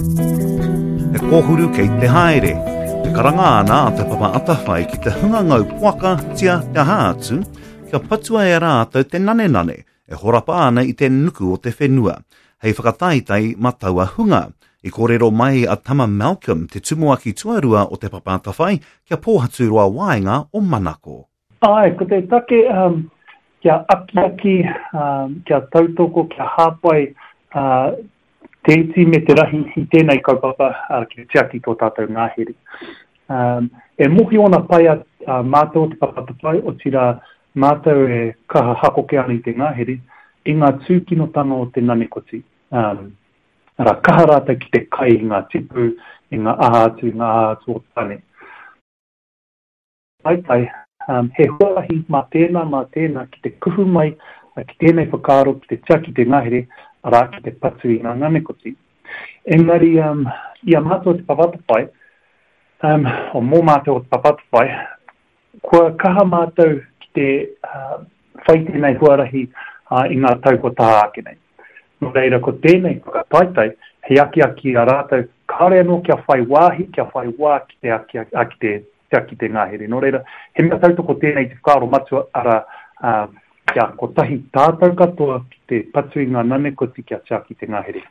He kōhuru kei te haere. Te karanga ana a Te Papa Atawhai ki te hunga ngau poaka, tia, te aha atu, kia patua e rātou te nanenane e horapa ana i te nuku o te whenua, hei whakataetae ma taua hunga. I kōrero mai a Tama Malcolm, te tumuaki tuarua o Te Papa Atawhai, kia Pōhaturoa waenga o Manako. Āe, ko te take kia akiaki, kia tautoko, kia hāpai te iti me te rahi i tēnei kaupapa kia tiaki tō tātou ngahere. E mōhio ana pai a mātou o Te Papa Atawhai, otirā mātou e kaha hakoke ana i te ngahere, i ngā tūkinotanga o te nanekoti. Arā, kaha rātou ki te kai i ngā tipu, i ngā aha atu, i ngā aha atu o Tāne. Taitai, he huarahi mā tēnā, mā tēnā ki te kuhu mai ki tēnei whakaaro ki te tiaki te ngahere, arā, ki te patu i ngā nganekoti. Engari, i a mātou o Te Papa Atawhai, o mō mātou o Te Papa Atawhai, kua kaha mātou ki te whai tēnei huarahi i ngā tau kua taha ake nei. Nō reira, ko tēnei whakataetae hei akiaki i a rātou kāore anō kia whai wāhi, kia whai wā ki te akiaki, ki te tiaki te ngahere. Nō reira, he mea tautoko tēnei i te whakaaro matua, arā, kia kotahi tātou katoa ki te patu i ngā nanekoti kia tiaki te ngahere.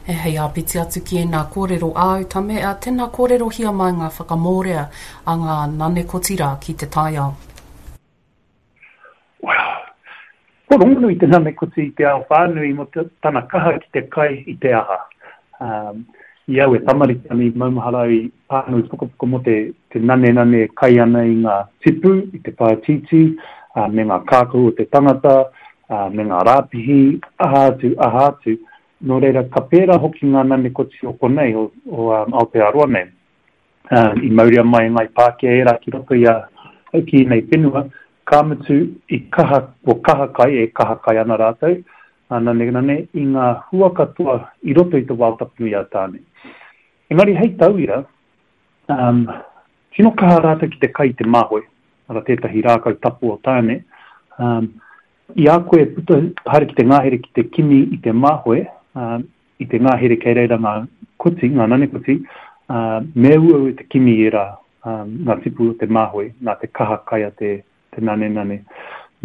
E hei āpiti atu ki ēnā kōrero āu, Tame, ā, tēnā kōrerohia mai ngā whakamōrea a ngā nanekoti rā ki te taiao. Well, kua rongonui te nanekoti i te ao whānui mō tana kaha ki te kai i te aha. Um, i au e tamariki ana i maumahara au i pānui pukapuka mō te, te nanenane e kai ana i ngā tipu, i te pātītī, uh, me ngā kākahu o te tangata, uh, me ngā rāpihi, aha atu, aha atu. Nō reira, ka pērā hoki ngā nanekoti o konei, o, o um, Aotearoa nei. Um, i mauria mai e Ngāi Pākehā ērā ki roto i a ki ēnei whenua, ka mutu i kaha, kua kaha kai, e kaha kai ana rātou, ngā nanenane, i ngā hua katoa i roto i te wao tapu nui a Tāne. Engari hei tauira, um, tino kaha rātou ki te kai i te māhoe, ara tētahi rākau tapu o Tāne, um, i a koe e puta haere ki te ngahere ki te kimi i te māhoe, um, i te ngahere kei reira ngā koti, ngā nanekoti, ā, me uaua te kimi i ērā, ā, ngā tipu o te māhoe, nā te kaha kai a te, te nanenane.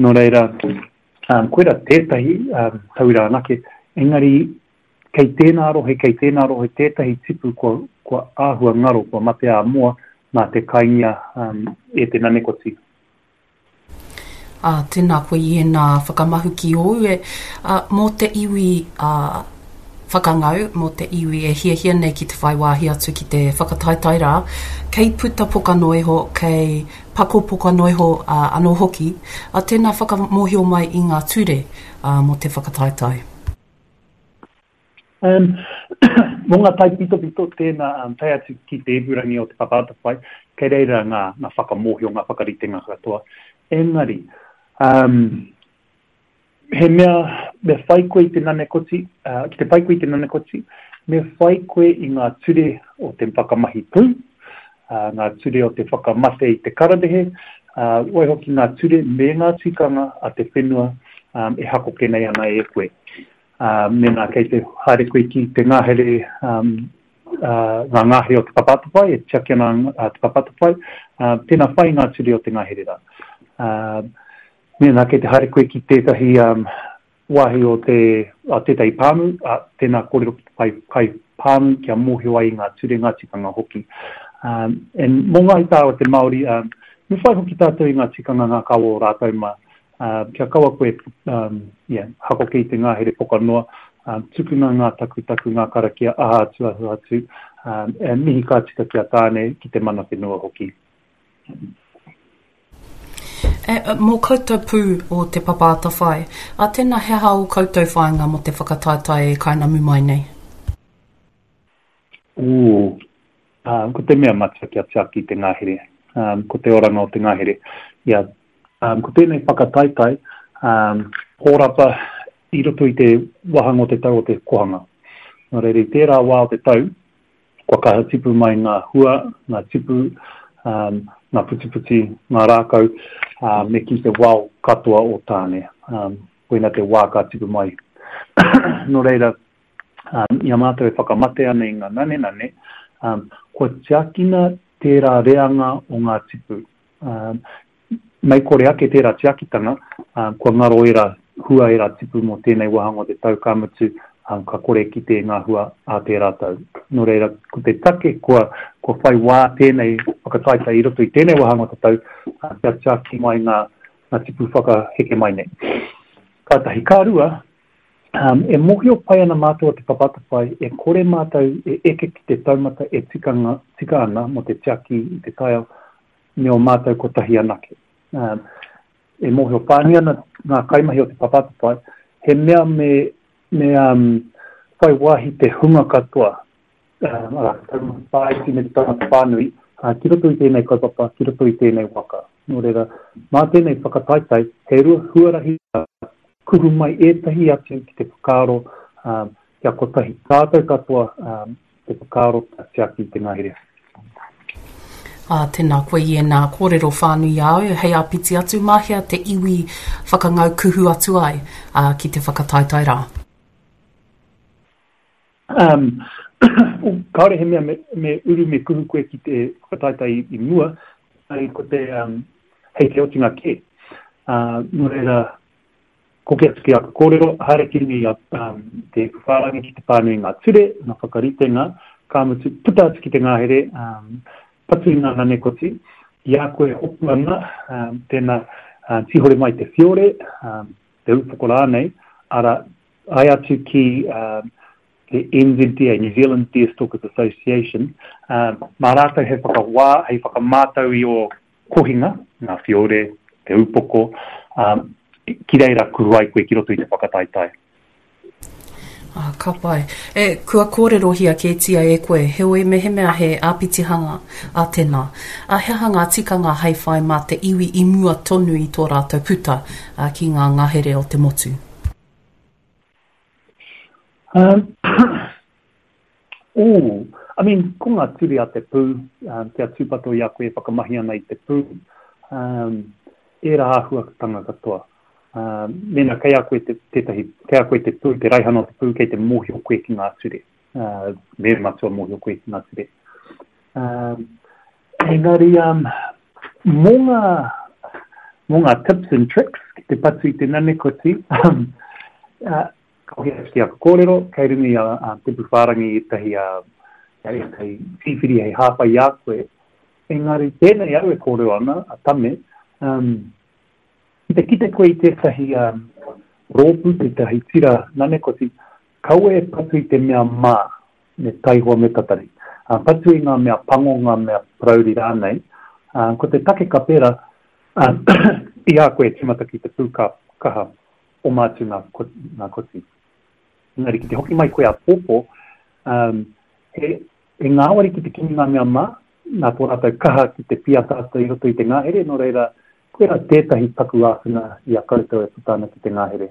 Nō reira, ā, koirā tētahi, ā, tauira anake, engari kei tēnā rohe, kei tēnā rohe tētahi tipu kua, kua āhua ngaro, kua mate ā-moa nā te kaingia, ā, e te nanekoti. Ā, tēnā koe i ēnā whakamahuki ōu e, ā, mō te iwi, ā, whakangau, mō te iwi e hiahia nei ki te whai wāhi atu ki te whakataetae rā, kei puta poka noa iho, kei pako poka noa iho, ā, anō hoki, ā, tēnā whakamōhio mai i ngā ture, ā, mō te whakataetae. Um, mō ngā taipitopito, tēnā, um, tae atu ki te ipurangi o Te Papa Atawhai, kei reira ngā, ngā whakamōhio, ngā whakaritenga katoa. Engari, um, he mea, me whai koe i te nanekoti, uh, ki te whai koe i te nanekoti, me whai koe i ngā ture o te whakamahi pū, uh, ngā ture o te whakamate i te kararehe, uh, waihoki ngā ture me ngā tikanga a te whenua um, e hakoke nei ana e koe. Ā, mēnā kei te haere koe ki te ngahere, ā, ngā ngahere o Te Papa Atawhai, e tiaki ana a Te Papa Atawhai, ā, tēnā whai i ngā ture o te ngahere rā. Ā, mēnā kei te haere koe ki tētahi wāhi o te, a tētahi pāmu, ā, tēnā kōrero ki te pai, kai pāmu kia mōhio ai i ngā ture, ngā tikanga hoki. Ā, and mō ngāi tāua te Māori, ā, me whai hoki tātou i ngā tikanga, ngā kawa o rātou mā, Ā, kia kaua koe, um, yeah, hakoke i te ngahere poka noa, um, tukuna ngā takutaku, ngā karakia, aha atu, aha atu, um, e mihi ka tika ki a Tāne, ki te mana whenua hoki. E, mō koutou pū o Te Papa Atawhai, a tēnā he aha ō koutou whāinga mō te whakataetae e kainamu mai nei? Ooh, um, ko te mea matua kia tiaki te ngahere, um, ko te oranga o te ngahere. Ia, Um, ko tēnei whakataetae, um, hōrapa i roto i te wāhanga o te tau o te kohanga. Nō reira, i tērā wā o te tau, kua kaha tipu mai ngā hua, ngā tipu, um, ngā putiputi, ngā rākau, uh, me ki te wao katoa o Tāne. Um, koina te wā ka tipu mai. Nō reira, Um, I a mātou e whakamate ana i ngā nanenane, um, kua tiakina tērā reanga o ngā tipu. Um, mei kore ake tērā tiakitanga, um, kua ngaro ērā hua, ērā tipu mō tēnei wāhanga o te tau, ka mutu, um, ka kore kite ngā hua a tērā tau. Nō reira, ko te take kua, kua whai wā tēnei whakataetae i roto i tēnei wāhanga o te tau, uh, kia tiaki mai ngā, ngā tipu whakaheke mai nei. Ka tahi, ka rua, um, e mōhio pai ana mātou o Te Papa Atawhai e kore mātou e eke ki te taumata e tikanga, tika ana mō te tiaki i te taiao me o mātou kotahi anake. Um, e mōhio whānui ana ngā kaimahi o Te Papa Atawhai, he mea me, me um, whai wāhi te hunga katoa arā, te taumata whāiti me te taumata whānui, ki roto i tēnei kaupapa, ki roto i tēnei waka. Nō reira, mā tēnei whakataetae, he huarahi kuhu mai ētahi atu ki te whakaaro kia kotahi tātou katoa te whakaaro kia tiaki i te ngahere. Ā, tēnā koe i ēnā kōrero whānui a au, hei āpiti atu, mā hea te iwi whakangau kuhu atu ai ki te whakataetae rā? Um, kāore he mea me, me uru me kuhu koe ki te whakataetae i, i mua, ai ko te, um, hei te otinga kē. Uh, nō reira, koke atu ki aku kōrero, haere ki runga i a, um, te whārangi ki te pānui ngā ture, ngā whakaritenga, ka mutu, puta atu ki te ngahere, um, patu i ngā nanekoti, i a koe hopu ana, um, tēnā, uh, tīhore mai te whiore, um, te upoko rānei, ara, Tae atu ki te NZDA, New Zealand Deerstalkers Association, mā rātou hei whakawā, hei whakamātau i ō kohinga, ngā whiore, te upoko, ki reira kuhu ai koe ki roto i te whakataetae. Ah, ka pai. E, kua kōrerohia kētia e koe, heoi mehemea he āpitihanga a tēnā. A he aha ngā tikanga hei whai mā te iwi i mua tonu i tō rātou puta ki ngā ngahere o te motu? Um, ooh, I mean, ko ngā ture a te pū, um, kia tūpato i a koe e whakamahi ana i te pū, um, ērā āhuatanga katoa. Um, mēnā kei a koe te, tētahi, kei a koe te pū, te raihana o te pū, kei te mōhio koe ki ngā ture. Uh, me matua mōhio koe ki ngā ture. Um, engari, um, mō ngā, mō ngā tips and tricks ki te patu i te nanekoti, um, uh, ka hoki atu ki aku kōrero, kei runga i a, a Te Pūwhārangi ētahi, uh, ētahi tīwhiri hei hāpai i a koe. Engari, tēnei au e kōrero ana, a Tame, um, ki te kite koe i tētahi um, rōpū, tētahi tira nanekoti, kaua e patu i te mea mā, me taihoa me tatari. Ā, patu i ngā mea pango, ngā mea parauri rānei. Ā, ko te take ka pērā, ā, i a koe e tīmata ki te pū ka kaha oma atu ngā, ngā koti. Engari ki te hoki mai koe āpōpō, ā, he, he ngāwari ki te kimi ngā mea mā, nā tō rātou kaha ki te pīataata i roto i te ngahere, nō reira, koirā tētahi paku āwhina i a koutou e puta ana ki te ngahere.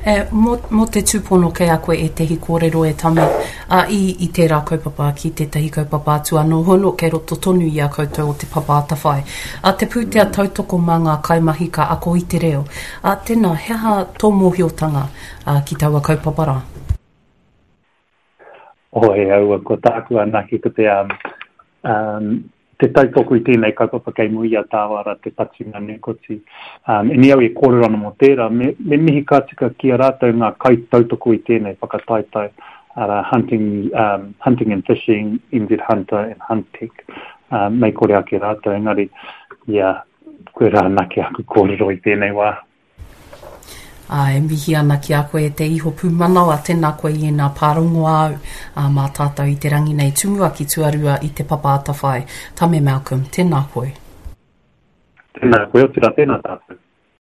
E, mō, mō te tūpono kei a koe ētehi kōrero e Tame, a, i, i tērā kaupapa ki tētahi kaupapa atu anō hono kei roto tonu i a koutou o Te Papa Atawhai. A, te pūtea tautoko mā ngā kaimahi ka ako i te reo. A, tēnā, he aha tō mōhiotanga a, ki taua kaupapa rā? Oh, e aua, ko tāku anake ko te, um, um, te tautoko i tēnei kaupapa kei mua i a Tāwara te patunga nekoti. Um, eni au e kōrero ana mō tērā, me, me mihi ka tika ki a rātou ngā kaitautoko i tēnei whakataetae, arā, Hunting, um, Hunting and Fishing, NZ Hunter and Huntech. Um, mei kore ake rātou, engari, ia, koirā anake aku kōrero i tēnei wā. Ā, e mihi ana ki a koe e te iho pūmanawa, tēnā koe i ēnā pārongo āu, ā, mā tātou i te rangi nei tumuaki tuarua i Te Papa Atawhai. Tame Malcolm, tēnā koe. Tēnā koe, otirā tēnā tātou.